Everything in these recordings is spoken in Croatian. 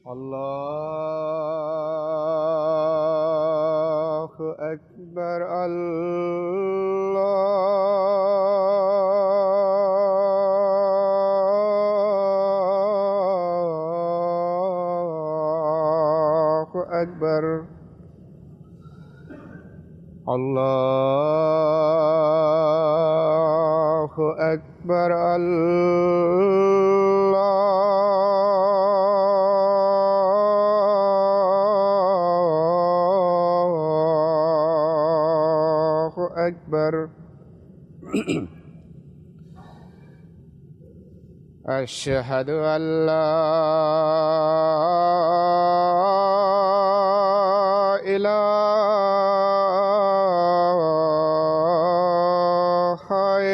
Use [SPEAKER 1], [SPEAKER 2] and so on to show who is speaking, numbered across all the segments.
[SPEAKER 1] الله أكبر الله أكبر الله أكبر الله أكبر أشهد أن لا إله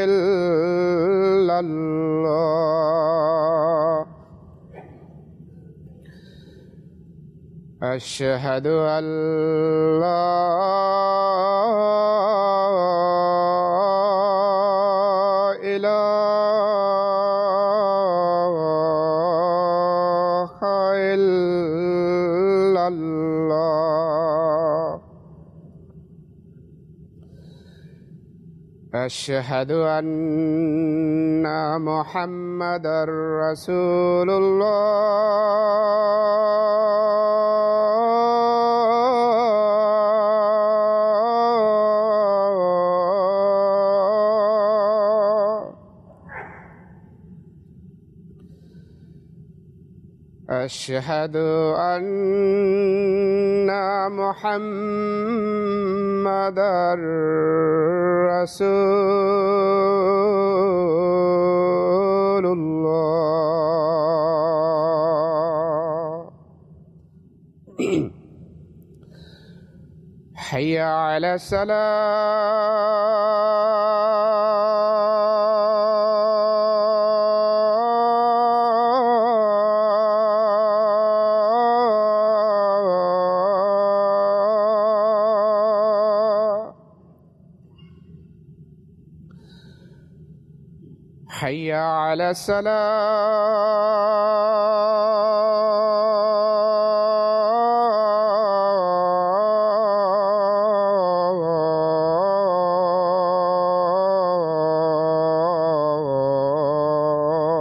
[SPEAKER 1] إلا الله أشهد أن لا إله إلا الله أشهد أن محمدًا رسول الله أشهد أن محمدًا رسول الله حي على الصلاة حي على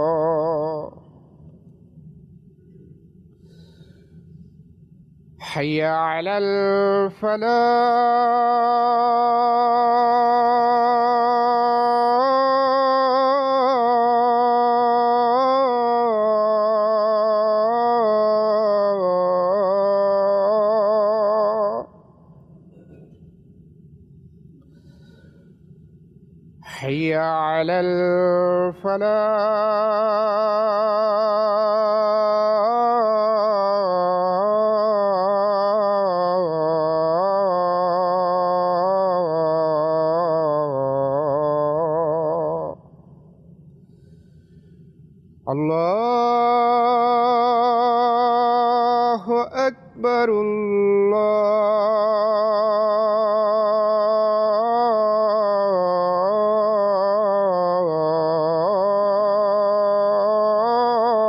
[SPEAKER 1] الصلاة حي على الفلاح حي على الفلاح الله أكبر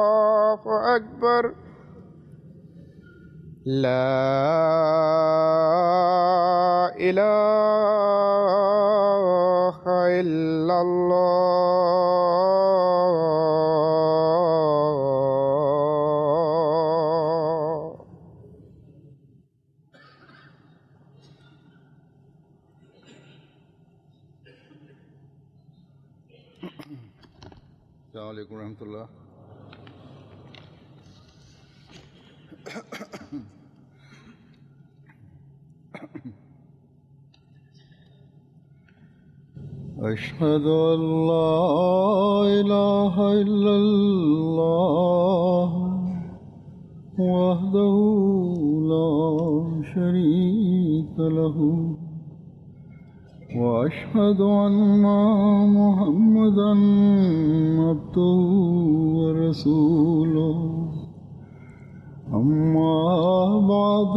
[SPEAKER 1] الله أكبر لا إله إلا الله السلام عليكم ورحمة الله. أشهد أن لا إله إلا الله وحده لا شريك له وأشهد أن محمدًا عبده ورسوله أما بعد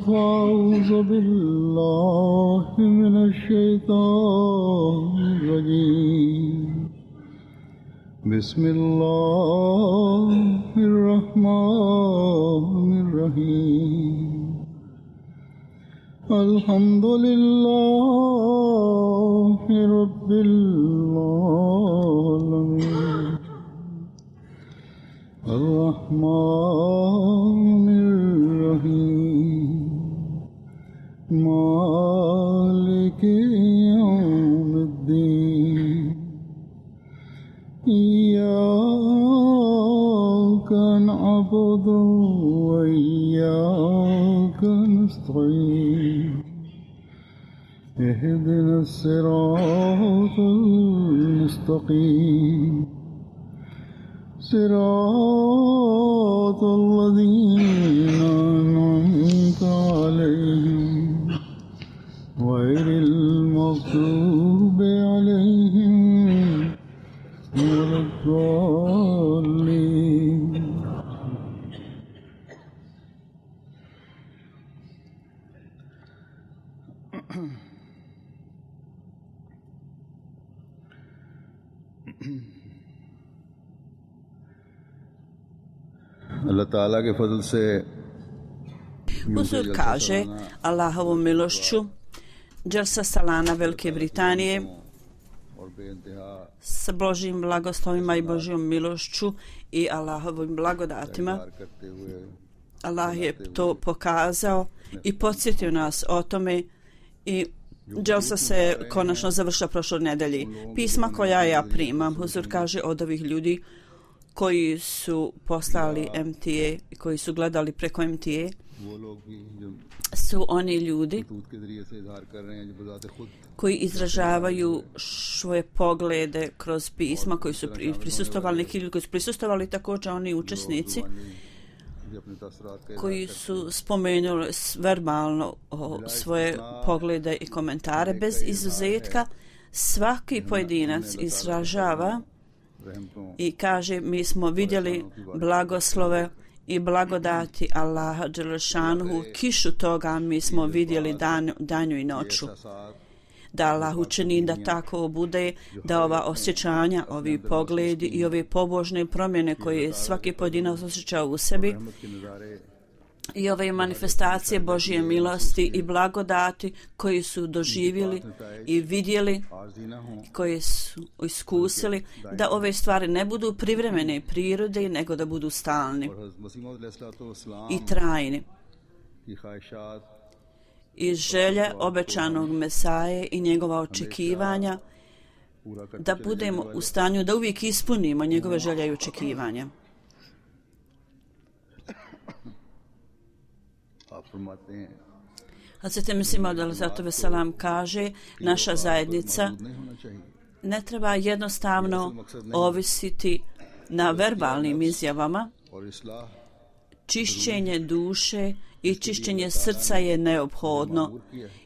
[SPEAKER 1] فأعوذ بالله من الشيطان الرجيم بسم الله الرحمن الرحيم الحمد لله رب العالمين الرحمن الرحيم مالك يوم الدين إياك نعبد وإياك نستعين اهدنا الصراط المستقيم صراط الذين أنعمت عليهم غير المغضوب عليهم ولا الضالين Allah Ta'ala ke fadl se
[SPEAKER 2] Uzur kaže Allahovom milošću Dželsa Salana Velike Britanije s Božjim blagoslovima i Božjom milošću i Allahovim blagodatima. Allah je to pokazao i podsjetio nas o tome i Dželsa se konačno završila prošle nedelje. Pisma koja ja primam, Huzur kaže od ovih ljudi koji su poslali MTA i koji su gledali preko MTA, su oni ljudi koji izražavaju svoje poglede kroz pisma, koji su prisustvovali, neki ljudi koji su prisustvovali, također oni učesnici koji su spomenuli verbalno svoje poglede i komentare. Bez izuzetka svaki pojedinac izražava i kaže mi smo vidjeli blagoslove i blagodati Allaha dželešanuhu, kišu toga mi smo vidjeli danju i noću. Da Allah učini da tako bude, da ova osjećanja, ovi pogledi i ove pobožne promjene koje svaki pojedinac osjeća u sebi i ove manifestacije Božje milosti i blagodati koji su doživjeli i vidjeli, koji su iskusili, da ove stvari ne budu privremene prirode, nego da budu stalni i trajni. I želje obećanog Mesaje i njegova očekivanja, da budemo u stanju da uvijek ispunimo njegove želje i očekivanja. Hazreti Mesih Maud alejhi ve selam kaže, naša zajednica ne treba jednostavno ovisiti na verbalnim izjavama. Čišćenje duše i čišćenje srca je neophodno.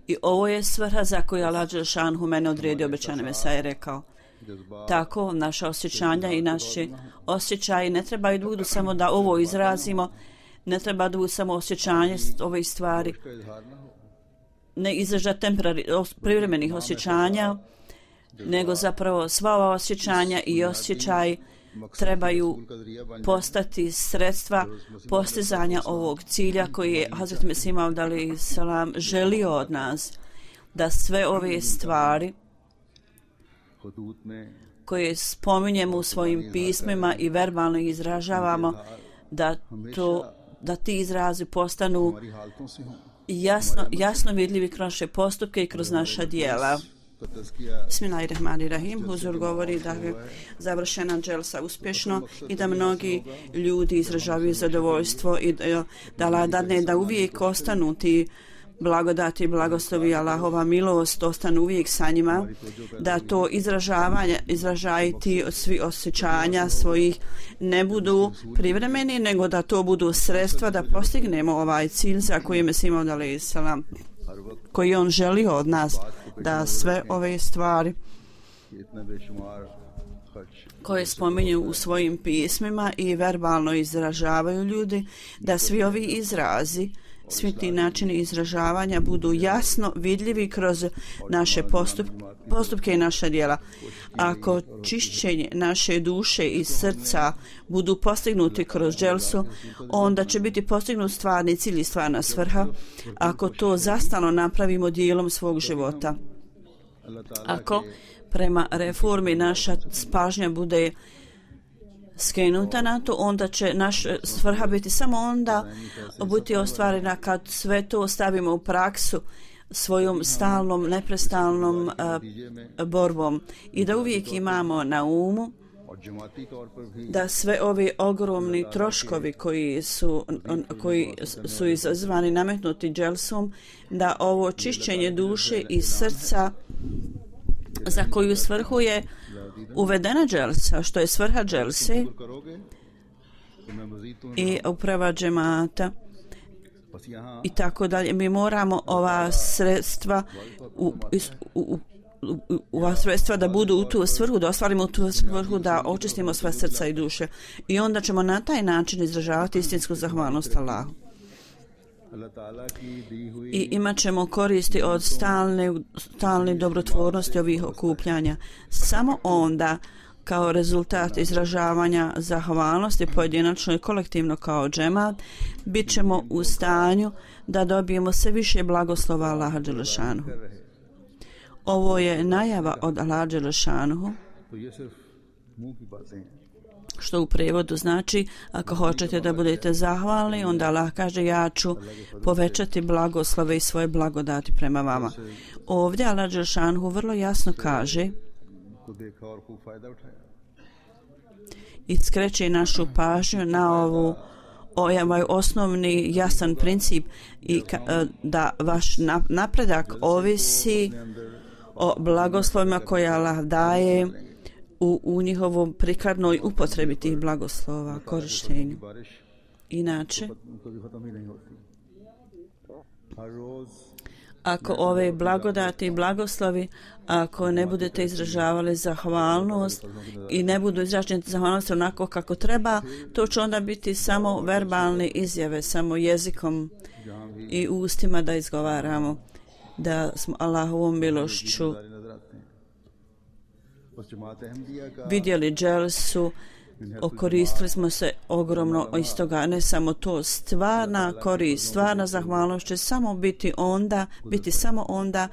[SPEAKER 2] I ovo je svrha za koju Allah dželešanuhu mene odredio, obećani Mesaj je rekao. Tako naša osjećanja i naše osjećaje ne trebaju da budu samo da ovo izrazimo, ne treba da budu samo osjećanje ove stvari, ne izraža privremenih osjećanja, nego zapravo sva ova osjećanja i osjećaj trebaju postati sredstva postizanja ovog cilja koji je Hazret Mesih Maud alejhi selam želio od nas, da sve ove stvari koje spominjemo u svojim pismima i verbalno izražavamo, da ti izrazi postanu jasno vidljivi kroz naše postupke i kroz naša dijela. Bismillahirrahmanirrahim. Huzur govori da je završena dželsa uspješno i da mnogi ljudi izražavaju zadovoljstvo i da Allah dadne da uvijek ostanu ti blagodati i blagoslovi, Allahova milost ostanu uvijek sa njima, da to izražajati svi osjećanja svojih ne budu privremeni, nego da to budu sredstva da postignemo ovaj cilj za koji je Mesih Maud alejhi selam, koji on želi od nas, da sve ove stvari koje spominju u svojim pismima i verbalno izražavaju ljudi, da svi ovi izrazi svi ti načini izražavanja budu jasno vidljivi kroz naše postupke i naša djela. Ako čišćenje naše duše i srca budu postignuti kroz dželsu, onda će biti postignut stvarni cilj i stvarna svrha ako to zastalno napravimo dijelom svog života. Ako prema reformi naša pažnja bude skrenuta na to, onda će naša svrha biti samo onda biti ostvarena kad sve to stavimo u praksu svojom stalnom, neprestalnom borbom i da uvijek imamo na umu da sve ovi ogromni troškovi koji su izazvani nametnuti dželsom, da ovo čišćenje duše i srca za koju svrhu je uvedena dželsa, što je svrha dželse i uprava džemata i tako dalje. Mi moramo ova sredstva ova sredstva da budu u tu svrhu, da ostvarimo u tu svrhu, da očistimo sva srca i duše. I onda ćemo na taj način izražavati istinsku zahvalnost Allahu. I imat ćemo koristi od stalne dobrotvornosti ovih okupljanja. Samo onda, kao rezultat izražavanja zahvalnosti pojedinačno i kolektivno kao džemat, bit ćemo u stanju da dobijemo sve više blagoslova Allaha dželešanuhu. Ovo je najava od Allaha dželešanuhu, što u prevodu znači ako hoćete da budete zahvalni, onda Allah kaže ja ću povećati blagoslove i svoje blagodati prema vama. Ovdje Allah dželešanuhu vrlo jasno kaže i skreće našu pažnju na ovaj osnovni jasan princip i da vaš napredak ovisi o blagoslovima koje Allah daje u njihovom prikladnoj upotrebi tih blagoslova, korištenju. Inače, ako ove blagodati i blagoslovi, ako ne budete izražavali zahvalnost i ne budu izraženi zahvalnost onako kako treba, to će onda biti samo verbalne izjave, samo jezikom i ustima da izgovaramo da smo Allahovom milošću vidjeli dželsu, okoristili smo se ogromno iz toga. Ne samo to, stvarna korist, stvarna zahvalnost će samo biti samo onda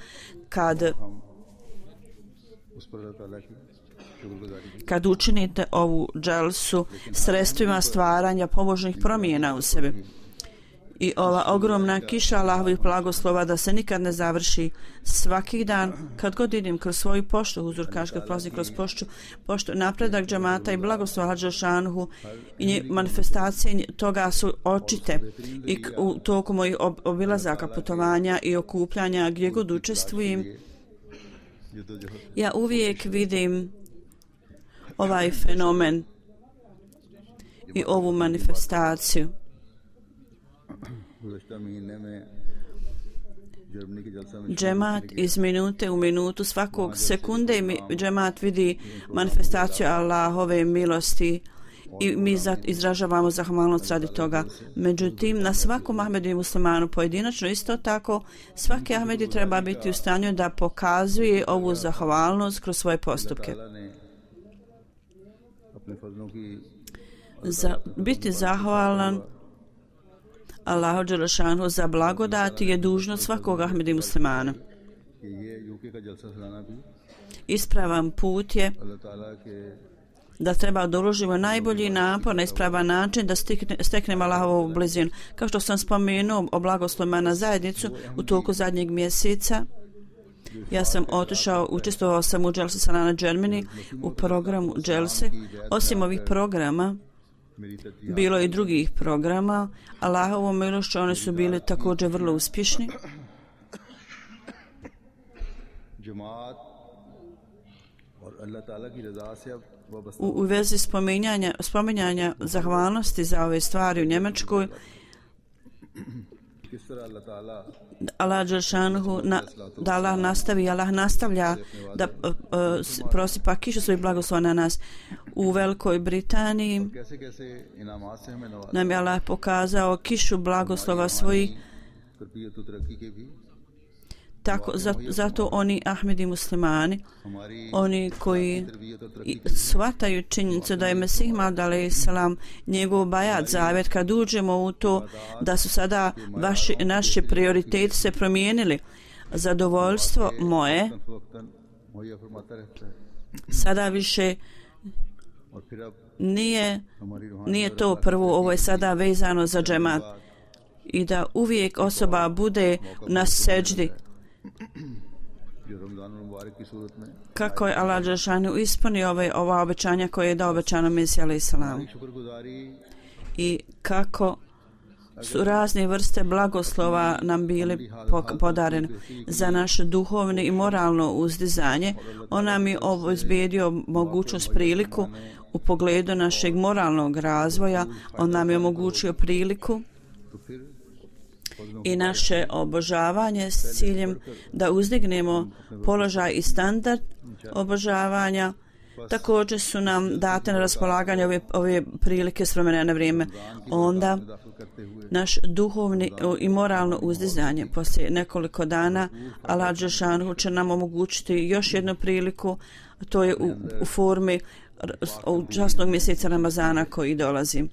[SPEAKER 2] kad učinite ovu dželsu sredstvima stvaranja pobožnih promjena u sebi. I ova ogromna kiša Allahovih blagoslova da se nikad ne završi. Svaki dan, kad god idem kroz svoju poštu, Huzur kaže kad prolazim kroz poštu, napredak džemata i blagoslova dželešanuhu i manifestacije toga su očite i u toku mojih obilazaka, putovanja i okupljanja gdje god učestvujem, ja uvijek vidim ovaj fenomen i ovu manifestaciju. Džemat iz minute u minutu, svakog sekunde džemat vidi manifestaciju Allahove milosti i mi izražavamo zahvalnost radi toga. Međutim, na svakom Ahmedu i muslimanu pojedinačno isto tako, svaki Ahmedi treba biti u stanju da pokazuje ovu zahvalnost kroz svoje postupke. Biti zahvalan Allahu dželešanuhu za blagodati je dužnost svakog Ahmeda i muslimana. Ispravan put je da treba da uložimo najbolji napor na ispravan način da steknemo Allahovu blizinu. Kao što sam spomenuo o blagoslovima na zajednicu u toku zadnjeg mjeseca, ja sam učestvovao sam u Jalsa Salana Germany u programu Jalse. Osim ovih programa, bilo je i drugih programa. Allahovom milošću oni su bili također vrlo uspješni. U vezi spominjanja zahvalnosti za ove stvari u Njemačkoj, Allah nastavlja da prosipa kišu svojih blagoslova na nas. U Velikoj Britaniji nam je Allah pokazao kišu blagoslova svojih
[SPEAKER 1] तरबियत और तरक्की के भी
[SPEAKER 2] Tako, zato oni Ahmedi muslimani, oni koji shvataju činjenicu da je Mesih Maud alejhiselam njegov bajat zavjet, kad uđemo u to da su sada naši prioriteti se promijenili, zadovoljstvo moje sada više nije to prvo, ovo je sada vezano za džemat i da uvijek osoba bude na seđdi kako je Allah dželešanu ispunio ova obećanja koje je dao obećano Mesiju alejhiselam i kako su razne vrste blagoslova nam bili podareni za naše duhovno i moralno uzdizanje. On nam je obezbedio mogućnost, priliku u pogledu našeg moralnog razvoja. On nam je omogućio priliku i naše obožavanje s ciljem da uzdignemo položaj i standard obožavanja. Također su nam date na raspolaganje ove prilike s vremena na vrijeme. Onda naš duhovni i moralno uzdizanje poslije nekoliko dana Allah dželešanu će nam omogućiti još jednu priliku, to je u formi časnog mjeseca Ramazana koji dolazi.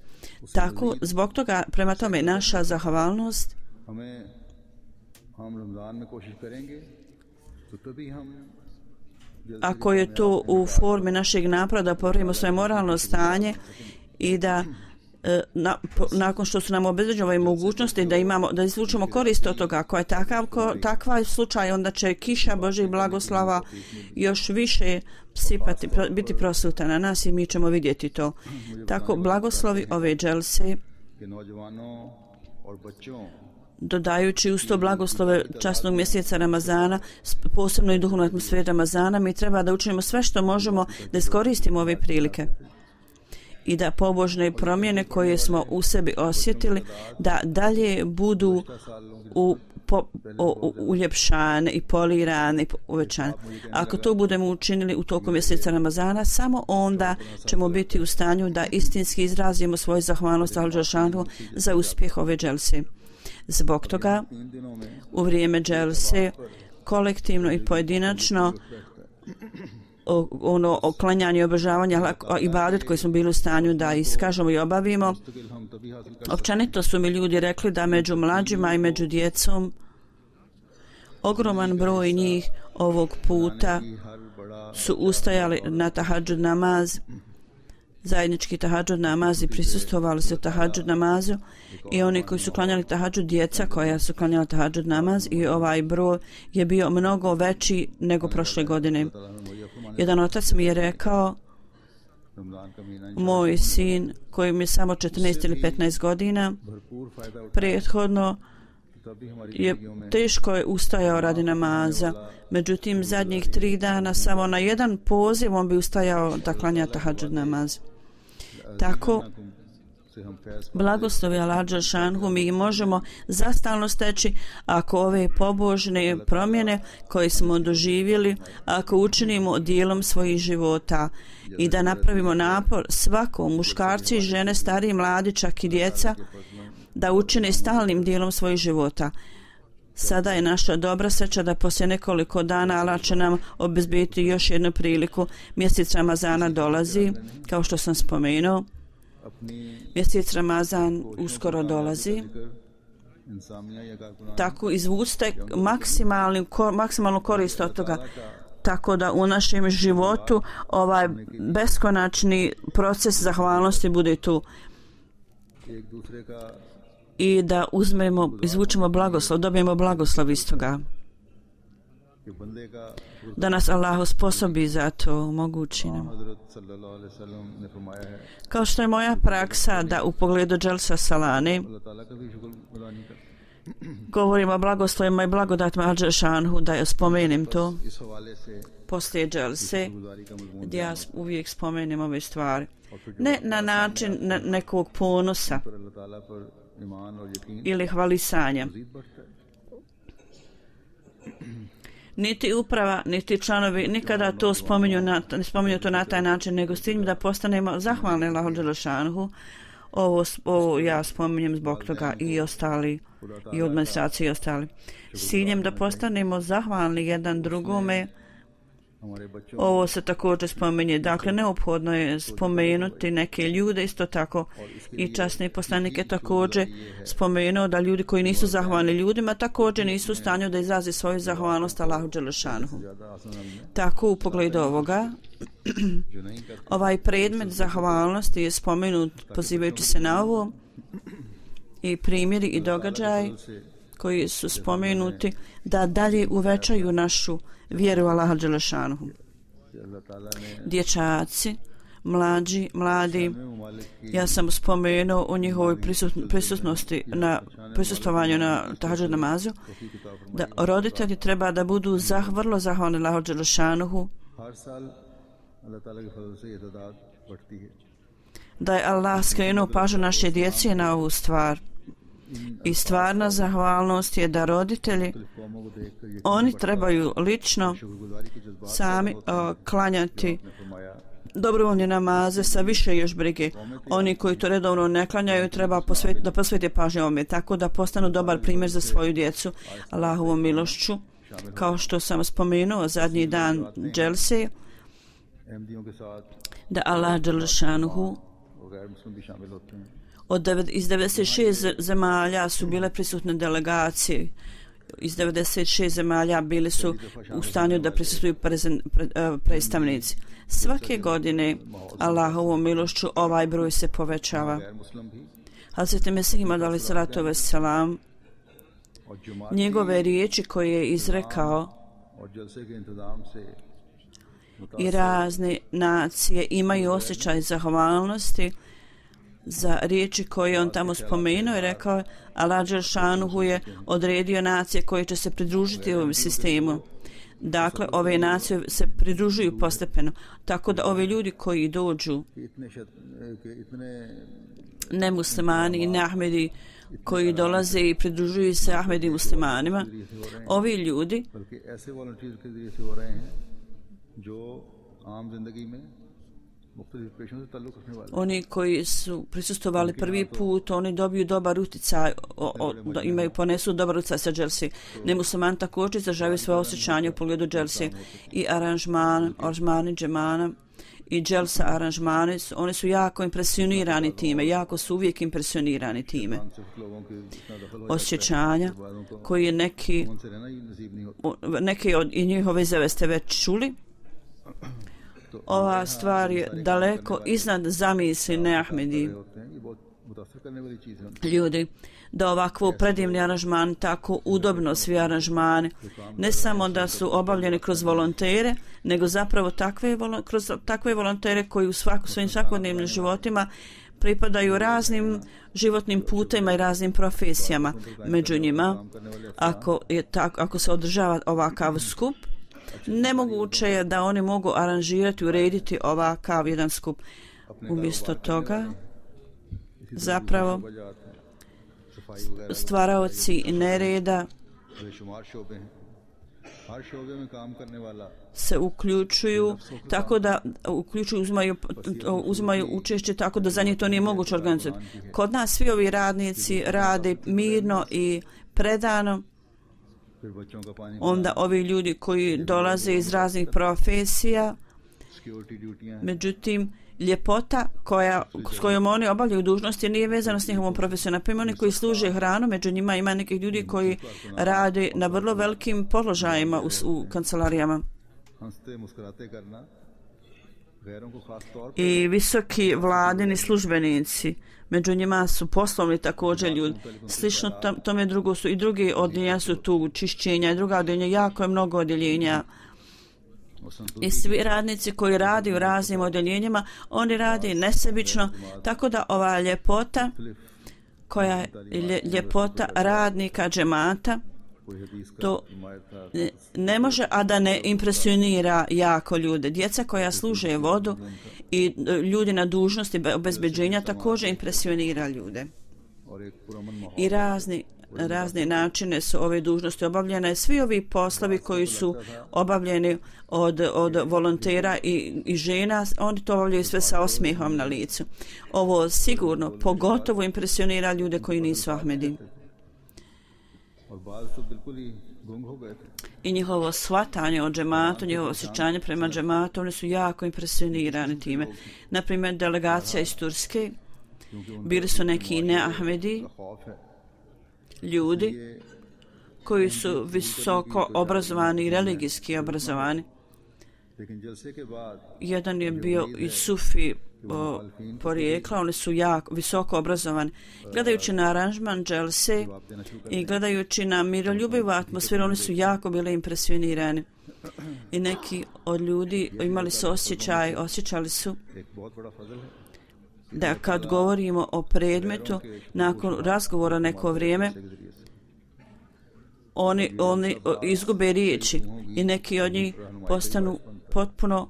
[SPEAKER 2] Tako, zbog toga, prema tome, naša zahvalnost ako je to u formi našeg napada da popravimo svoje moralno stanje i da nakon što su nam obezbeđene ove mogućnosti da izvučemo korist od toga, ako je takav slučaj, onda će kiša Božjih blagoslava još više sipati, biti prosuta na nas i mi ćemo vidjeti to. Tako, blagoslovi ove dželse, dodajući uz to blagoslove časnog mjeseca Ramazana, posebno i duhovnu atmosferu Ramazana, mi treba da učinimo sve što možemo da iskoristimo ove prilike i da pobožne promjene koje smo u sebi osjetili da dalje budu uljepšane i polirane i uvećane. Ako to budemo učinili u toku mjeseca Ramazana, samo onda ćemo biti u stanju da istinski izrazimo svoju zahvalnost Allahu dželešanu za uspjeh ove dželse. Zbog toga u vrijeme dželse kolektivno i pojedinačno oklanjanje i obožavanje ibadet koji smo bili u stanju da iskažemo i obavimo. Općenito su mi ljudi rekli da među mlađima i među djecom ogroman broj njih ovog puta su ustajali na tahadžud namaz, zajednički tahadžud namaz i prisustvovali su tahadžud namazu i oni koji su klanjali tahadžud, djeca koja su klanjala tahadžud namaz, i ovaj broj je bio mnogo veći nego prošle godine. Jedan otac mi je rekao, moj sin koji mi je samo 14 ili 15 godina, prethodno je teško je ustajao radi namaza, međutim zadnjih 3 dana samo na jedan poziv on bi ustajao da klanja tahadžud namaz. Tako, blagoslovi Allah dželešanu mi možemo zastalno steći ako ove pobožne promjene koje smo doživjeli, ako učinimo dijelom svojih života i da napravimo napor svako, muškarci i žene, stariji, mladi, čak i djeca, da učine stalnim dijelom svojih života. Sada je naša dobra sreća da poslije nekoliko dana Allah će nam obezbediti još jednu priliku. Mjesec Ramazana dolazi, kao što sam spomenuo. Mjesec Ramazan uskoro dolazi. Tako izvucite maksimalnu korist od toga. Tako da u našem životu ovaj beskonačni proces zahvalnosti bude tu. I da izvučemo blagoslov, dobijemo blagoslov iz toga. Da nas Allah osposobi za to, omogući nam. Kao što je moja praksa da u pogledu dželsa salane govorimo o blagoslovima i blagodatima Al dželešanu, da je spomenem to poslije dželse, gdje ja uvijek spomenem ove stvari. Ne na način nekog ponosa ili hvalisanja. Niti uprava, niti članovi nikada to ne spominju to na taj način, nego s tim da postanemo zahvalni Allahu dželešanu. Ovo ja spominjem zbog toga i ostali, i administracije i ostali. S ciljem da postanemo zahvalni jedan drugome, ovo se također spominje. Dakle, neophodno je spomenuti neke ljude, isto tako i časni poslanik je također spomenuo da ljudi koji nisu zahvalni ljudima također nisu u stanju da izrazi svoju zahvalnost Allahu dželešanuhu. Tako u pogledu ovoga, ovaj predmet zahvalnosti je spomenut pozivajući se na ovo i primjeri i događaj koji su spomenuti da dalje uvećaju našu vjeru Allaha dželešanuhu. Dječaci, mladi, ja sam spomenuo u njihovoj prisutnosti na prisustvovanju na tahadžud namazu, da roditelji treba da budu vrlo zahvalni Allahu dželešanuhu, da je Allah skrenuo pažnju naše djece na ovu stvar. I stvarna zahvalnost je da roditelji, oni trebaju lično sami klanjati dobrovoljne namaze sa više još brige. Oni koji to redovno ne klanjaju treba da posvete pažnju ovome, tako da postanu dobar primjer za svoju djecu Allahovom milošću. Kao što sam spomenuo zadnji dan dželse, da Allah dželešanuhu iz 96 zemalja su bile prisutne delegacije. Iz 96 zemalja bili su u stanju da prisustvuju predstavnici. Svake godine Allahovom milošću ovaj broj se povećava. Hazreti Mesih Imad alejhi salatu vesselam, njegove riječi koje je izrekao i razne nacije imaju osjećaj zahvalnosti za riječi koje on tamo spomenuo i rekao, Allah dželešanuhu je odredio nacije koje će se pridružiti ovom sistemu. Dakle, ove nacije se pridružuju postepeno, tako da ovi ljudi koji dođu, nemuslimani i neahmedi koji dolaze i pridružuju se Ahmedi muslimanima, ovi ljudi oni koji su prisustvovali prvi put, oni dobiju dobar utjecaj, ponesu dobar utjecaj sa dželsi. Nemusliman također izražavaju svoje osjećanje u pogledu dželsi i aranžmani džemana i dželsa aranžmani, oni su jako impresionirani time, jako su uvijek impresionirani time. Osjećanja koji neki od njihove izjave ste već čuli. Ova stvar je daleko iznad zamisli neahmedi ljudi, da ovakvo predivni aranžman, tako udobno svi aranžmani, ne samo da su obavljeni kroz volontere, nego zapravo kroz takve volontere koji u svojim svakodnevnim životima pripadaju raznim životnim putima i raznim profesijama. Među njima, ako se održava ovakav skup, nemoguće je da oni mogu aranžirati, urediti ovakav jedan skup. Umjesto toga, zapravo, stvaraoci nereda se uključuju, tako da uzimaju učešće, tako da za njih to nije moguće organizirati. Kod nas svi ovi radnici rade mirno i predano. Onda ovi ljudi koji dolaze iz raznih profesija, međutim, ljepota s kojom oni obavljaju dužnosti nije vezana s njihovom profesijom. Naprimjer, oni koji služe hranu, među njima ima nekih ljudi koji rade na vrlo velikim položajima u kancelarijama. I visoki vladini službenici, među njima su poslovni također ljudi. Slično tome drugo su i drugi odjeljenja su tu, čišćenja i druga odjeljenja, jako je mnogo odjeljenja. I svi radnici koji radi u raznim odjeljenjima, oni radi nesebično, tako da ova ljepota, koja je ljepota radnika džemata, to ne može, a da ne impresionira jako ljude. Djeca koja služe vodu i ljudi na dužnosti obezbeđenja također impresionira ljude. I razni razne načine su ove dužnosti obavljene. Svi ovi poslovi koji su obavljeni od volontera i žena, oni to obavljaju sve sa osmijehom na licu. Ovo sigurno pogotovo impresionira ljude koji nisu Ahmedi. I njihovo shvatanje o džematu, njihovo osjećanje prema džematu, oni su jako impresionirani time. Naprimjer, delegacija iz Turske, bili su neki ne-Ahmedi, ljudi koji su visoko obrazovani i religijski obrazovani. Jedan je bio i sufi porijekla, oni su jako visoko obrazovani. Gledajući na aranžman dželse i gledajući na miroljubivu atmosferu, oni su jako bili impresionirani. I neki od ljudi imali su osjećali su da kad govorimo o predmetu, nakon razgovora neko vrijeme, oni izgube riječi i neki od njih postanu potpuno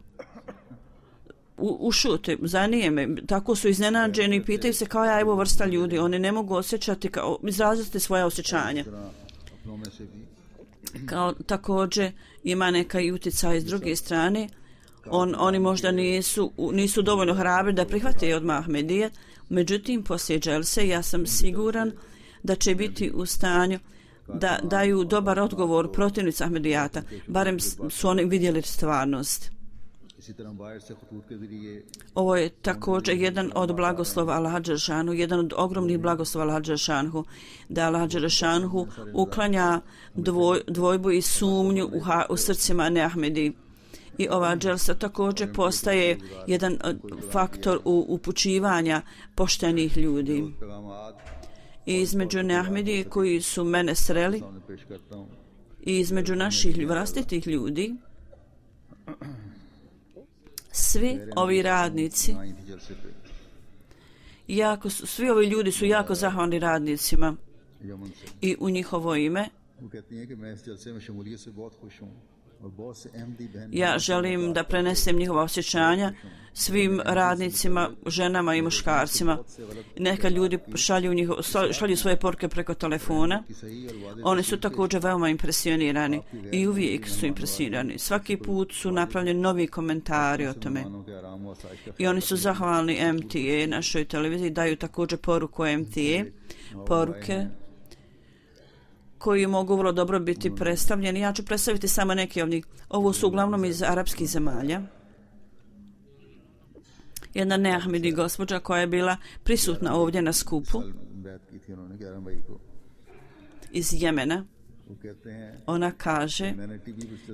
[SPEAKER 2] ušute, zanijeme, tako su iznenađeni i pitaju se kao ja, evo vrsta ljudi, oni ne mogu osjećati, izraziti svoje osjećanja. Kao također ima neka i utjecaj s druge strane, oni možda nisu dovoljno hrabri da prihvate od Ahmedije, međutim poslije dželse ja sam siguran da će biti u stanju da daju dobar odgovor protivnici Ahmedijata, barem su oni vidjeli stvarnost. Ovo je također jedan od blagoslova Allaha dželešanu, jedan od ogromnih blagoslova Allaha dželešanu, da Allaha dželešanu uklanja dvojbu i sumnju u srcima neahmedi. I ova dželsa također postaje jedan faktor upućivanja poštenih ljudi. I između neahmedi koji su mene sreli i između naših vlastitih ljudi, svi ovi radnici, svi ovi ljudi su jako zahvalni radnicima i u njihovo ime ja želim da prenesem njihova osjećanja svim radnicima, ženama i muškarcima. Neka ljudi šalju svoje poruke preko telefona. Oni su također veoma impresionirani i uvijek su impresionirani. Svaki put su napravljeni novi komentari o tome. I oni su zahvalni MTA, našoj televiziji, daju također poruku MTA, poruke koji mogu vrlo dobro biti predstavljeni. Ja ću predstaviti samo neke od njih. Ovo su uglavnom iz arapskih zemalja. Jedna neahmedi gospođa koja je bila prisutna ovdje na skupu iz Jemena. Ona kaže,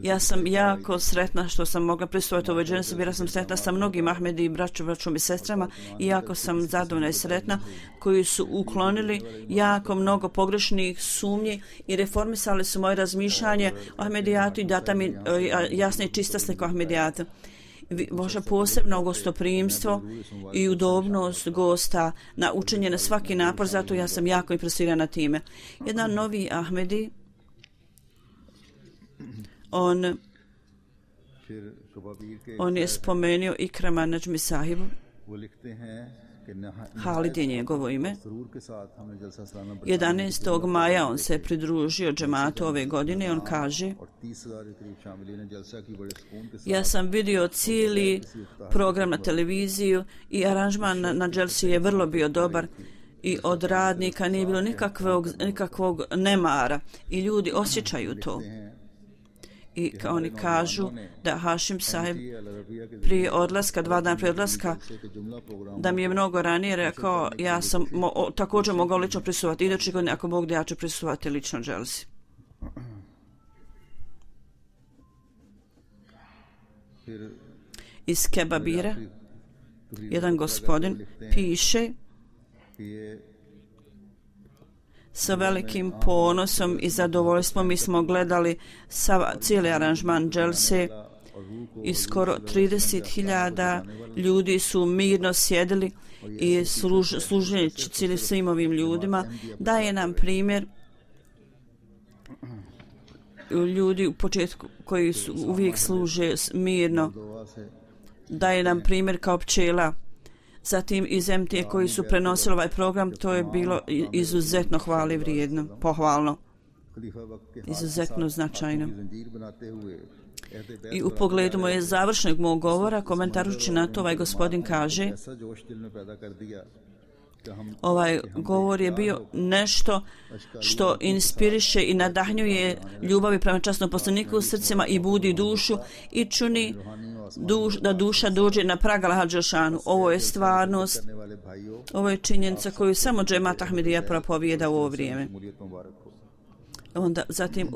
[SPEAKER 2] ja sam jako sretna što sam mogla prisustvovati ovoj dženesi, bila sam sretna sa mnogim Ahmedi braćom i sestrama i jako sam zadovoljna i sretna koji su uklonili jako mnogo pogrešnih sumnji i reformisali su moje razmišljanje o Ahmedijatu i data mi jasna i čista slika o Ahmedijatu. Vaše posebno gostoprimstvo i udobnost gosta na učenje na svaki napor, zato ja sam jako impresirana time. Jedan novi Ahmedi, on je spomenuo Ikrama Najmi sahibu, Halid je njegovo ime. 11. maja on se pridružio džematu ove godine i on kaže, ja sam vidio cijeli program na televiziju i aranžman na dželsi je vrlo bio dobar i od radnika nije bilo nikakvog nemara i ljudi osjećaju to. I oni kažu da Hašim sahib prije odlaska, 2 dana prije odlaska, da mi je mnogo ranije rekao, ja sam također mogao lično prisustvovati. Iduće godine, ako Bog da, ja ću prisustvovati lično dželsi. Iz Kebabira jedan gospodin piše, sa velikim ponosom i zadovoljstvom mi smo gledali cijeli aranžman dželse i skoro 30.000 ljudi su mirno sjedili i služeći svim ovim ljudima. Daje nam primjer ljudi u početku koji uvijek služe mirno. Daje nam primjer kao pčela. Zatim iz MT koji su prenosili ovaj program, to je bilo izuzetno hvale vrijedno, pohvalno, izuzetno značajno. I u pogledu moje završnog mog govora, komentarujući na to, ovaj gospodin kaže, ovaj govor je bio nešto što inspiriše i nadahnjuje ljubavi prema časnom poslaniku u srcima i budi dušu i čuni da duša dođe na prag Allaha dželešanu. Ovo je stvarnost, ovo je činjenica koju samo džemat Ahmedija propovijeda u ovo vrijeme. Onda zatim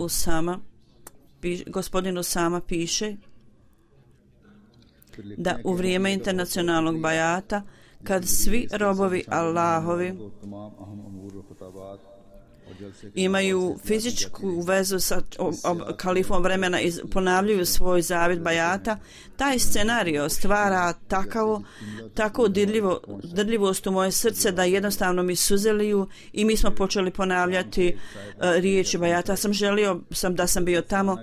[SPEAKER 2] gospodin Usama piše da u vrijeme internacionalnog bajata, kad svi robovi Allahovi imaju fizičku vezu sa kalifom vremena i ponavljaju svoj zavjet bajata, taj scenario stvara tako dirljivost u moje srce da jednostavno mi suzeliju i mi smo počeli ponavljati riječi bajata. Želio sam da sam bio tamo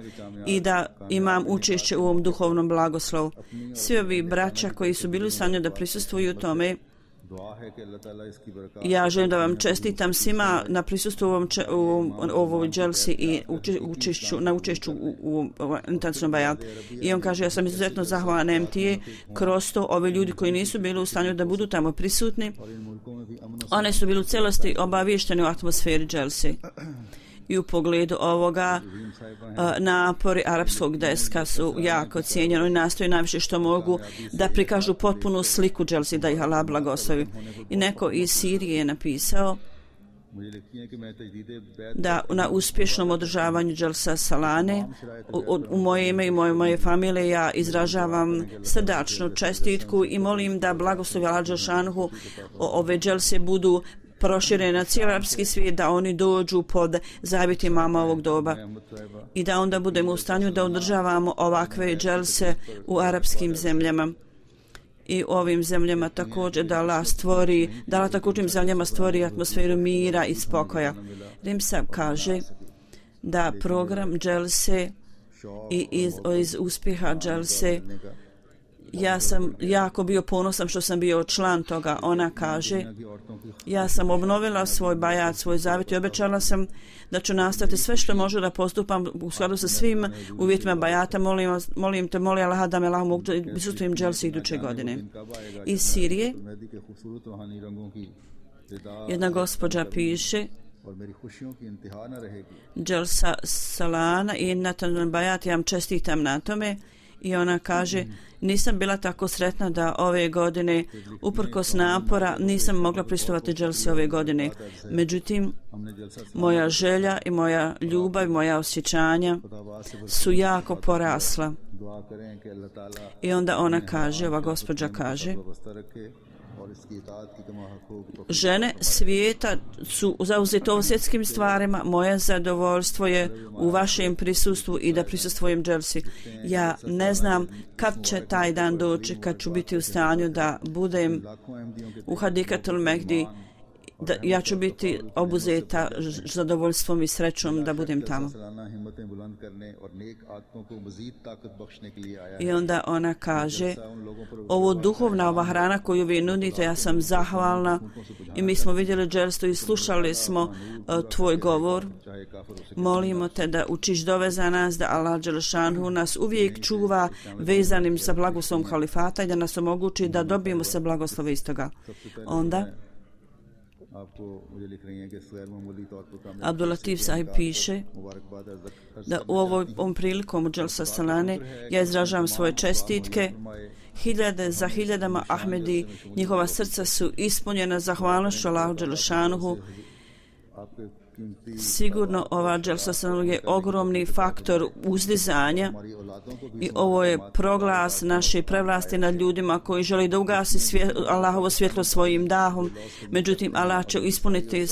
[SPEAKER 2] i da imam učešće u ovom duhovnom blagoslovu. Svi ovi braća koji su bili u stanju da prisustvuju tome, ja želim da vam čestitam svima na prisustvu u ovoj dželsi i na učešću u internacionalnom bajatu. I on kaže, ja sam izuzetno zahvalan MTA kroz to, ove ljudi koji nisu bili u stanju da budu tamo prisutni, one su bili u celosti obavješteni u atmosferi dželsi. I u pogledu ovoga napori arapskog deska su jako cijenjeni i nastoji najviše što mogu da prikažu potpunu sliku dželsi, da ih Allah blagoslovi. I neko iz Sirije je napisao da na uspješnom održavanju dželsa Salane u moje ime i moje familije ja izražavam srdačnu čestitku i molim da blagoslovi Allah dželešanu ove dželse budu proširene na cijeli arapski svijet, da oni dođu pod zavjet imama ovog doba i da onda budemo u stanju da održavamo ovakve dželse u arapskim zemljama i u ovim zemljama također da Allah također zemljama stvori atmosferu mira i spokoja. Rimsab kaže da program dželse i iz uspjeha dželse ja sam jako bio ponosan što sam bio član toga. Ona kaže, ja sam obnovila svoj bajat, svoj zavjet i obećala sam da ću nastaviti sve što može da postupam u skladu sa svim uvjetima bajata. Molim Allaha da me Allah mogu da prisustujem dželsi iduće godine. Iz Sirije jedna gospođa piše, dželsa Salana i Natan bajat, ja vam čestitam na tome. I ona kaže, nisam bila tako sretna da ove godine, uprkos napora, nisam mogla pristupati dželsi ove godine. Međutim, moja želja i moja ljubav, moja osjećanja su jako porasla. I onda ona kaže, ova gospođa kaže, žene svijeta su zauzete o svjetskim stvarima, moje zadovoljstvo je u vašem prisustvu i da prisustvujem dželsi. Ja ne znam kad će taj dan doći, kad ću biti u stanju da budem u Hadikatul Mehdi, ja ću biti obuzeta zadovoljstvom i srećom da budem tamo. I onda ona kaže, ovo ova hrana koju vi nudite, ja sam zahvalna i mi smo vidjeli dželstu i slušali smo tvoj govor. Molimo te da učiš dove za nas, da Allah dželešanu nas uvijek čuva vezanim sa blagoslovom halifata i da nas omogući da dobijemo se blagoslove iz toga. Onda Abdulatif sahib piše da u ovom prilikom u dželsa Salane ja izražavam svoje čestitke. Hiljade za hiljadama Ahmedi, njihova srca su ispunjena zahvalnošću Allahu dželešanuhu. Sigurno ova dželsa Salane je ogromni faktor uzdizanja i ovo je proglas naše prevlasti nad ljudima koji žele da ugasi Allahovo svjetlo svojim dahom. Međutim, Allah će ispuniti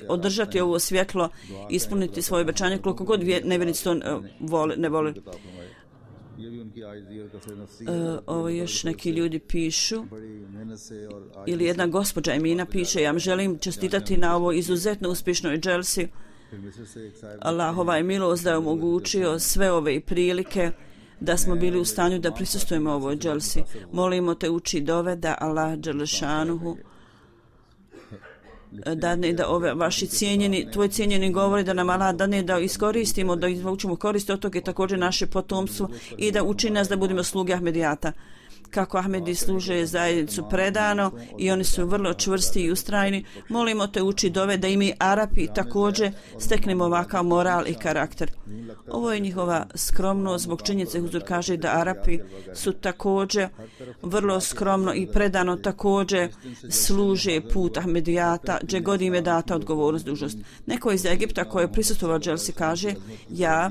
[SPEAKER 2] održati ovo svjetlo, ispuniti svoje obećanje koliko god nevjernici to ne vole. Ovo još neki ljudi pišu ili jedna gospođa Emina piše, ja vam želim čestitati na ovo izuzetno uspješnoj dželsi. Allahova je milost da je omogućio sve ove prilike da smo bili u stanju da prisustvujemo ovoj dželsi. Molimo te uči dove da Allah dželešanuhu dadne da ove vaši cijenjeni, tvoj cijenjeni govori da nam Allah dadne da iskoristimo, da izvučemo koristi od toga i također naše potomstvo i da učini nas da budemo sluge Ahmedijata. Kako Ahmedi služe zajednicu predano i oni su vrlo čvrsti i ustrajni. Molimo te uči dove da i mi Arapi također steknemo ovakav moral i karakter. Ovo je njihova skromnost, zbog činjenice Huzur kaže da Arapi su također vrlo skromno i predano također služe put Ahmedijata, gdje god im je data odgovornost, dužnost. Neko iz Egipta koji je prisustvovao dželsi kaže, ja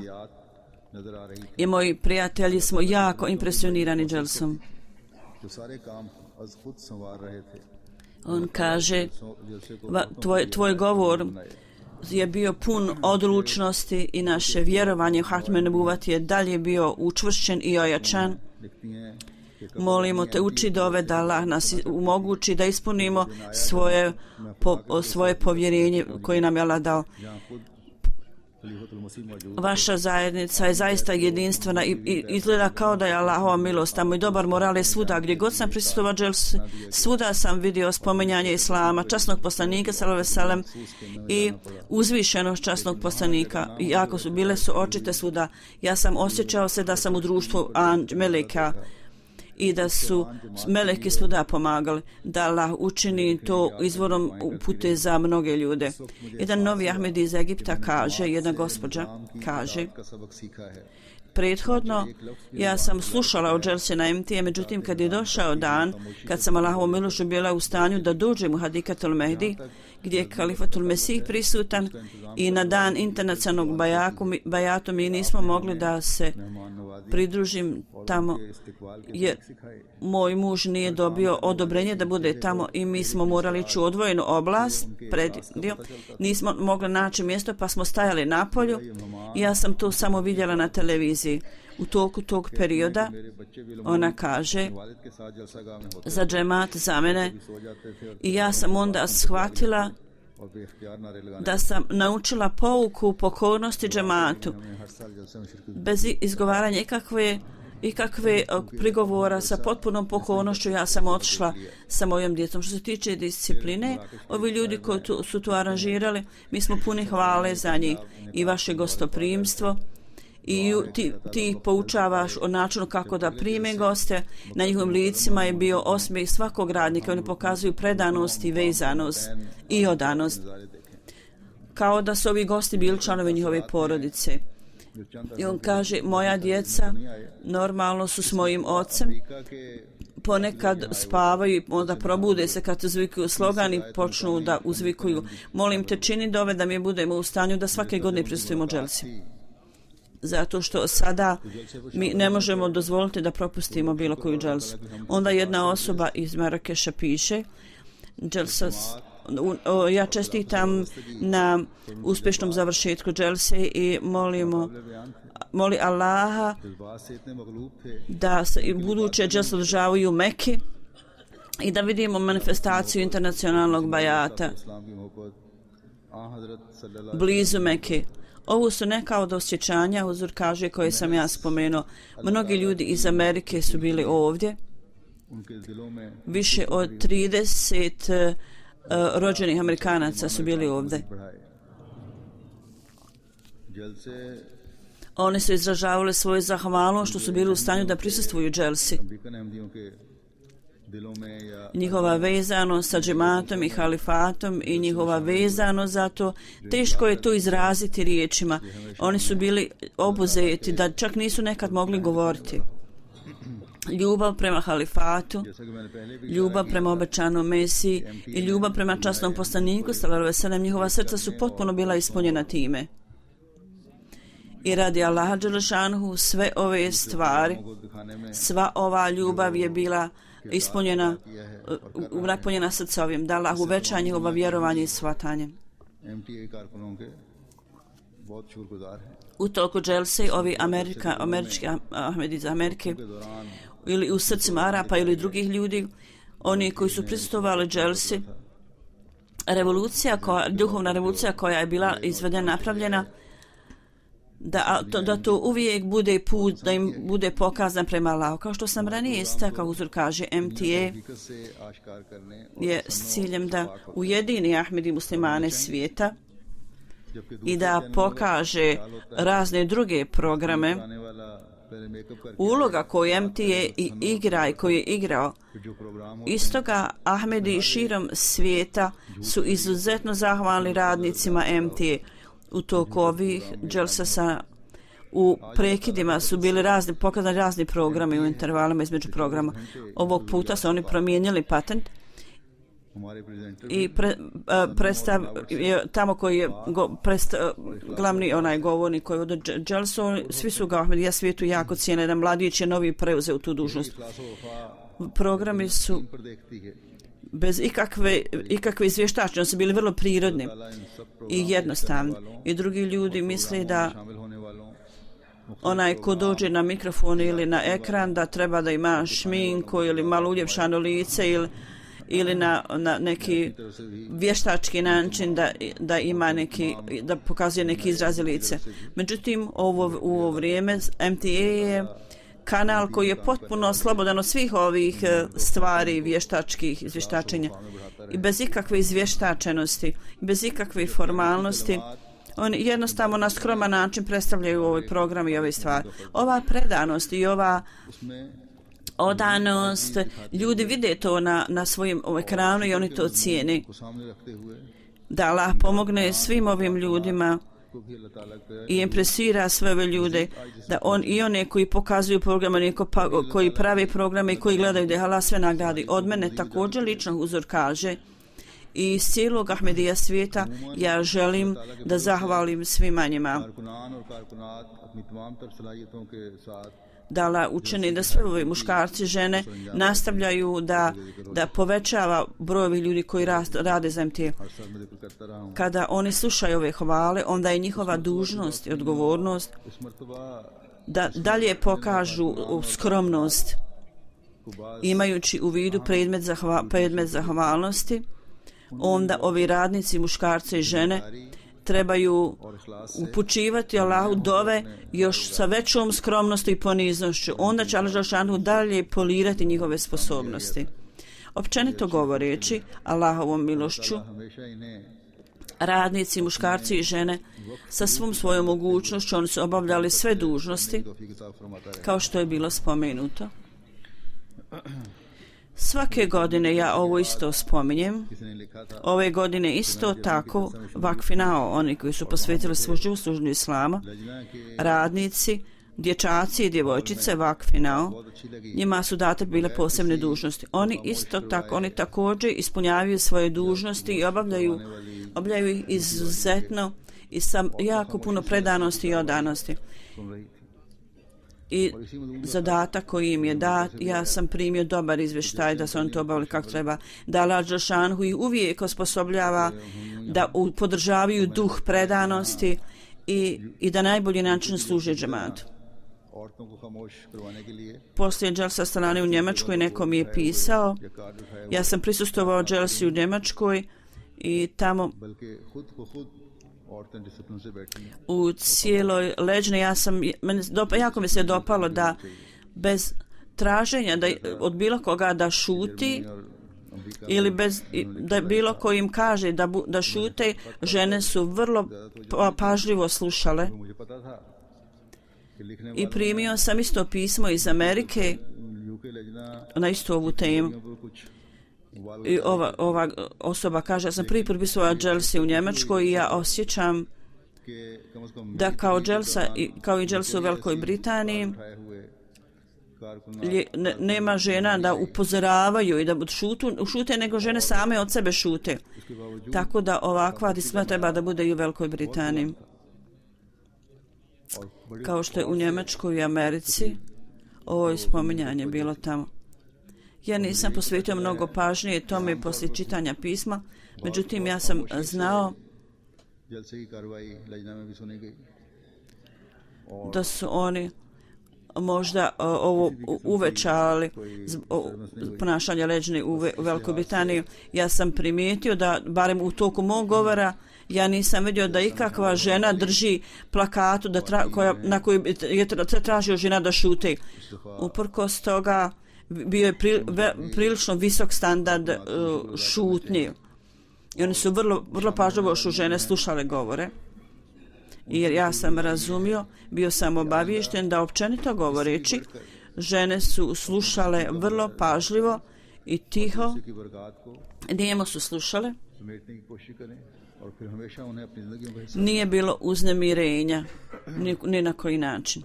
[SPEAKER 2] i moji prijatelji smo jako impresionirani dželsom. On kaže, tvoj govor je bio pun odlučnosti i naše vjerovanje u Hatme Nubuvat je dalje bio učvršćen i ojačan. Molimo te uči dove da Allah nas omogući da ispunimo svoje povjerenje koje nam je Allah dao. Vaša zajednica je zaista jedinstvena i izgleda kao da je Allahova milost tamo i dobar moral je svuda. Gdje god sam prisustvovao dželsi, svuda sam vidio spominjanje Islama, časnog poslanika sallallahu alejhi ve sellem i uzvišenost časnog poslanika. I jako su bile su očite svuda. Ja sam osjećao se da sam u društvu meleka i da su meleki svuda pomagali, da Allah učini to izvorom upute za mnoge ljude. Jedan novi Ahmedi iz Egipta kaže, jedna gospođa kaže, prethodno ja sam slušala o dželsi na MT, međutim kad je došao dan, kad sam Allahovom milošću bila u stanju da dođem u Hadikatul Mehdi, gdje je Kalifatul Mesih prisutan i na dan internacionalnog bajatu mi nismo mogli da se pridružim tamo jer moj muž nije dobio odobrenje da bude tamo i mi smo morali ići u odvojenu oblast predio. Nismo mogli naći mjesto pa smo stajali na polju i ja sam to samo vidjela na televiziji. U toku tog perioda ona kaže za džemat za mene i ja sam onda shvatila da sam naučila pouku pokornosti džematu bez izgovaranja ikakve prigovora, sa potpunom pokornošću ja sam otišla sa mojom djecom. Što se tiče discipline, ovi ljudi koji su to aranžirali, mi smo puni hvale za njih i vaše gostoprimstvo i ti ih poučavaš o načinu kako da prime goste. Na njihovim licima je bio osmijeh svakog radnika. Oni pokazuju predanost i vezanost i odanost. Kao da su ovi gosti bili članovi njihove porodice. I on kaže, moja djeca normalno su s mojim ocem. Ponekad spavaju i onda probude se kad uzvikuju slogan i počnu da uzvikuju. Molim te čini dove da mi budemo u stanju da svake godine prisustujemo dželsi. Zato što sada mi ne možemo dozvoliti da propustimo bilo koju dželsu. Onda jedna osoba iz Marakeša piše, ja čestitam na uspješnom završetku dželse i moli Allaha da se i buduće dželse održavaju u Meki i da vidimo manifestaciju internacionalnog bajata blizu Meke. Ovo su neka od osjećanja, Huzur kaže, koje sam ja spomenuo. Mnogi ljudi iz Amerike su bili ovdje. Više od 30 rođenih Amerikanaca su bili ovdje. Oni su izražavali svoju zahvalnost što su bili u stanju da prisustvuju dželsi. Njihova vezanost sa džematom i halifatom i njihova vezanost za to, teško je to izraziti riječima. Oni su bili obuzeti da čak nisu nekad mogli govoriti. Ljubav prema halifatu, ljubav prema obećanom Mesiji i ljubav prema časnom poslaniku, sallallahu alejhi ve sellem, njihova srca su potpuno bila ispunjena time. I radi Allaha dželešanuhu sve ove stvari, sva ova ljubav je bila napunjena srca ovim, da Allah uveća njihovo vjerovanje i shvatanje. U toku dželse ovi američki Ahmedi iz Amerike ili u srcima Arapa ili drugih ljudi, oni koji su prisustvovali dželsi, duhovna revolucija koja je bila izvedena, napravljena, da to uvijek bude put, da im bude pokazan prema Allahu. Kao što sam ranije istakao, uzor kaže, MTA je s ciljem da ujedini Ahmedi muslimane svijeta i da pokaže razne druge programe. Uloga koju MTA igra i koju je igrao, istoga Ahmedi širom svijeta su izuzetno zahvalni radnicima MTA. U toku ovih dželsa u prekidima su bili pokazani razni programi u intervalima između programa. Ovog puta su oni promijenili patent i tamo koji je glavni onaj govornik koji od dželsu, svi su ga Ahmedija svijetu jako cijene, jedan mladić je novi preuzeo tu dužnost. Programi su bez ikakve izvještačne, su bili vrlo prirodni i jednostavni. I drugi ljudi misle da onaj ko dođe na mikrofon ili na ekran da treba da ima šminku ili malo uljepšano lice ili na neki vještački način da ima da pokazuje neki izraz lice. Međutim, u ovo vrijeme MTA je kanal koji je potpuno slobodan od svih ovih stvari vještačkih izvještačenja i bez ikakve izvještačenosti, bez ikakve formalnosti. Oni jednostavno na skroman način predstavljaju ovaj program i ove stvari. Ova predanost i ova odanost, ljudi vide to na svojim ekranu i oni to cijene. Da Allah pomogne svim ovim ljudima i impresira sve ove ljude, da i one koji pokazuju programe, koji prave programe i koji gledaju da Allah sve nagradi. Od mene također lično uzor kaže i iz cijelog Ahmedija svijeta ja želim da zahvalim svima njima. Da Allah učini da sve ove muškarci, žene nastavljaju da povećava brojevi ljudi koji rade za MTA. Kada oni slušaju ove hvale, onda je njihova dužnost i odgovornost da dalje pokažu skromnost, imajući u vidu predmet zahvalnosti. Onda ovi radnici, muškarci i žene trebaju upućivati Allahu dove još sa većom skromnosti i poniznošću. Onda će Allah dželešanu dalje polirati njihove sposobnosti. Općenito govoreći, Allahovom milošću, radnici, muškarci i žene sa svom svojom mogućnošću oni su obavljali sve dužnosti kao što je bilo spomenuto. Svake godine ja ovo isto spominjem. Ove godine isto tako vakfinao, oni koji su posvetili svoj život službi islama, radnici, dječaci i djevojčice vakfinao, njima su date bile posebne dužnosti. Oni također ispunjavaju svoje dužnosti i obavljaju ih izuzetno i sa jako puno predanosti i odanosti. I zadatak koji im je dat, ja sam primio dobar izvještaj da su oni to obavili kako treba. Da Allah dželešanu ih uvijek osposobljava da podržavaju duh predanosti i da najbolji način služe džematu. Poslije dželsa strane u Njemačkoj neko mi je pisao, ja sam prisustvovao dželsi u Njemačkoj i tamo u cijeloj leđni jako mi se dopalo da bez traženja od bilo koga da šuti ili da bilo ko im kaže da šute, žene su vrlo pažljivo slušale. I primio sam isto pismo iz Amerike na istu ovu temu. I ova osoba kaže, ja sam prvi put pisao dželsi u Njemačkoj i ja osjećam da kao i dželsi u Velikoj Britaniji nema žena da upozoravaju i da šute, nego žene same od sebe šute. Tako da ovakva disciplina treba da bude i u Velikoj Britaniji. Kao što je u Njemačkoj i Americi, ovo je spominjanje bilo tamo. Ja nisam posvetio mnogo pažnje tome poslije čitanja pisma, međutim ja sam znao da su oni možda ovo uvećali ponašanje leđni u Velikoj Britaniji. Ja sam primijetio da, barem u toku mog govora, ja nisam vidio da ikakva žena drži plakatu na koju je tražio žena da šute. Uprkos toga bio je prilično visok standard šutnje. I oni su vrlo pažljivo što žene slušale govore. Jer ja sam razumio, bio sam obaviješten da općenito govoreći, žene su slušale vrlo pažljivo i tiho, nijemo su slušale. Nije bilo uznemirenja, ni na koji način.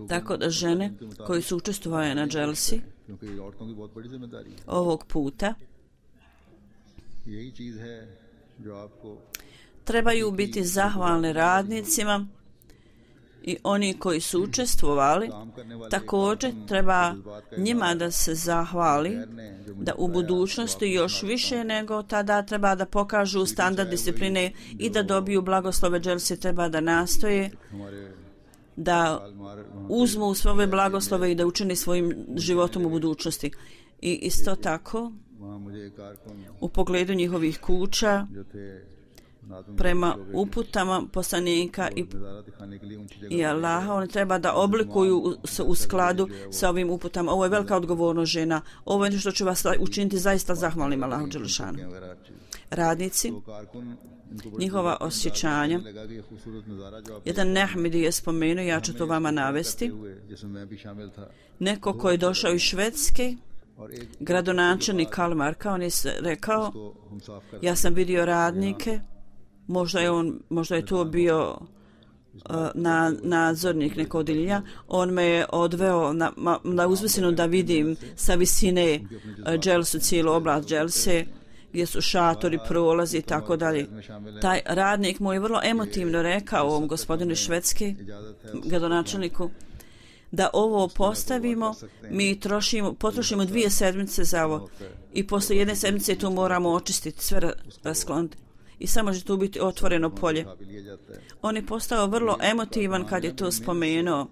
[SPEAKER 2] Tako da žene koji su učestvovale na dželsi ovog puta trebaju biti zahvalni radnicima i oni koji su učestvovali, također treba njima da se zahvali, da u budućnosti još više nego tada treba da pokažu standard discipline i da dobiju blagoslove dželsi, treba da nastoje da uzmu sve ove blagoslove i da učini svojim životom u budućnosti. I isto tako u pogledu njihovih kuća prema uputama poslanika i Allaha, oni treba da oblikuju u skladu sa ovim uputama. Ovo je velika odgovornost žena. Ovo je nešto što će vas učiniti zaista zahvalnim Allahu dželešanu. Radnici, njihova osjećanja. Jedan Nehmidi je spomenuo, ja ću to vama navesti. Neko koji je došao iz Švedske, gradonačelnik Kalmarka, on je rekao, ja sam vidio radnike, možda je to bio nadzornik nekog odjeljenja, on me je odveo na uzvisinu da vidim sa visine dželsu, cijelu oblast dželse, gdje su šatori, prolazi i tako dalje. Taj radnik mu je vrlo emotivno rekao ovom gospodinu Švedske, gradonačelniku, da ovo postavimo, mi potrošimo 2 sedmice za ovo i posle 1 sedmice to moramo očistiti, sve raskloniti. I samo će tu biti otvoreno polje. On je postao vrlo emotivan kad je to spomenuo.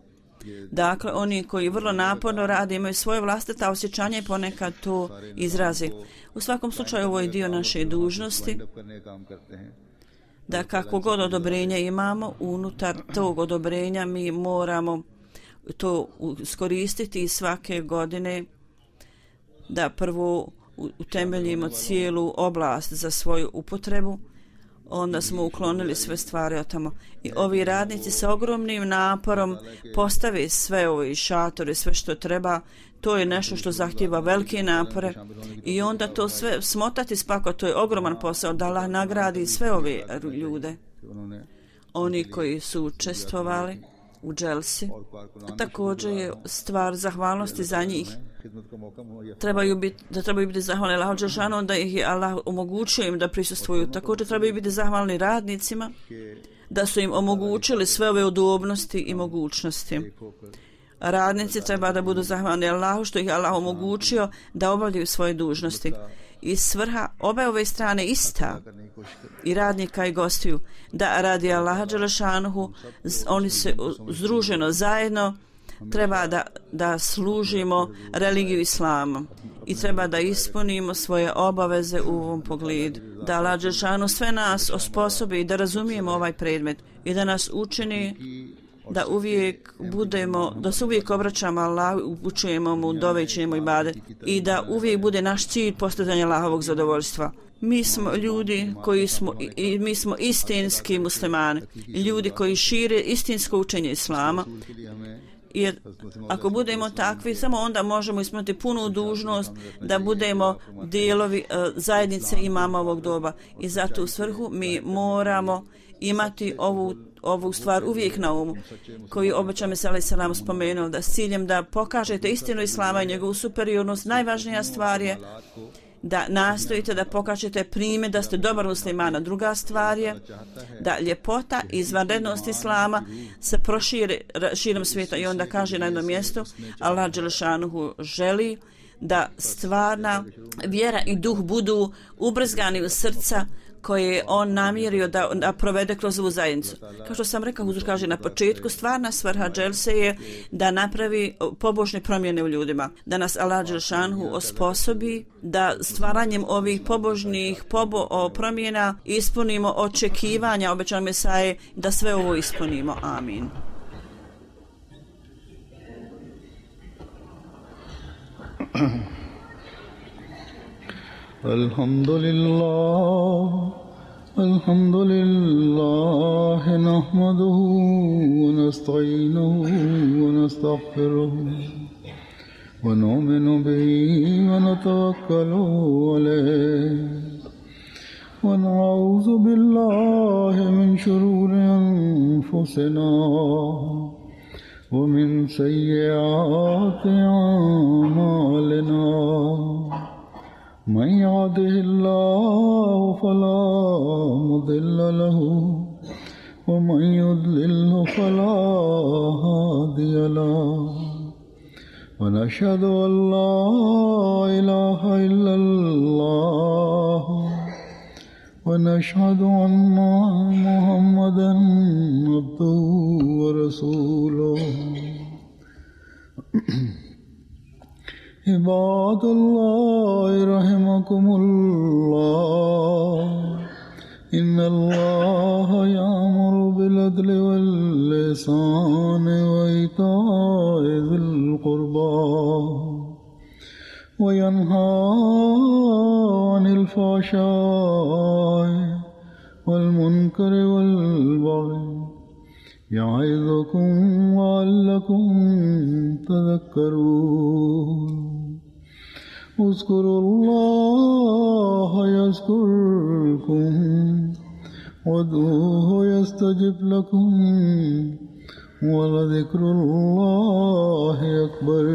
[SPEAKER 2] Dakle, oni koji vrlo naporno rade imaju svoje vlastita osjećanja i ponekad to izrazi. U svakom slučaju ovo je dio naše dužnosti, da kako god odobrenja imamo, unutar tog odobrenja mi moramo to iskoristiti svake godine, da prvo utemeljimo cijelu oblast za svoju upotrebu, onda smo uklonili sve stvari od tamo. I ovi radnici sa ogromnim naporom postave sve ove šatore, sve što treba. To je nešto što zahtjeva velike napore i onda to sve smotati spako, to je ogroman posao, da Allah nagradi sve ove ljude. Oni koji su učestvovali u dželsi, također je stvar zahvalnosti za njih. Trebaju biti zahvalni Allahu dželešanu, onda ih je Allah omogućio im da prisustvuju. Također trebaju biti zahvalni radnicima, da su im omogućili sve ove udobnosti i mogućnosti. Radnici treba da budu zahvalni Allahu što ih Allah omogućio da obavljaju svoje dužnosti. I svrha obe ove strane ista, i radnika i gostiju, da radi Allaha dželešanuhu, oni se združeno zajedno treba da služimo religiju islama i treba da ispunimo svoje obaveze u ovom pogledu. Da Allah dželešanuhu sve nas osposobi da razumijemo ovaj predmet i da nas učini da se uvijek obraćamo Allahu, upućujemo mu, dovećemo ibadet i da uvijek bude naš cilj postizanje Allahovog zadovoljstva. Mi smo ljudi mi smo istinski muslimani, ljudi koji šire istinsko učenje islama. Jer ako budemo takvi, samo onda možemo ispuniti punu dužnost da budemo dijelovi zajednice imama ovog doba. I zato u svrhu mi moramo imati ovu stvar uvijek na umu, koju obećam se alejhi selam spomenuo, da s ciljem da pokažete istinu islama i njegovu superiornost. Najvažnija stvar je da nastojite da pokažete primjer da ste dobar muslimana. Druga stvar je da ljepota i izvanrednost islama se proširi širom svijeta. I onda kaže na jednom mjestu, Allah dželešanuhu želi da stvarna vjera i duh budu ubrizgani u srca koje je on namjerio da provede kroz ovu zajednicu. Kao što sam rekao, Huzur kaže na početku, stvarna svrha dželse je da napravi pobožne promjene u ljudima, da nas Allah dželšanhu osposobi da stvaranjem ovih pobožnih promjena ispunimo očekivanja obećanog Mesaje, da sve ovo ispunimo. Amin.
[SPEAKER 1] الحمد لله نحمده ونستعينه ونستغفره ونؤمن به ونتوكل عليه ونعوذ بالله من شرور أنفسنا ومن سيئات أعمالنا من يهده الله فلا مضل له ومن يضلل فلا هادي له ونشهد أن لا إله إلا الله ونشهد أن محمدا عبده ورسوله عباد الله رحمكم الله إن الله يأمر بالعدل والإحسان وإيتاء ذي القربى وينهى عن الفحشاء والمنكر والبغي يعظكم لعلكم تذكرون اذكروا الله يذكركم وادعوه يستجب لكم ولذكر الله أكبر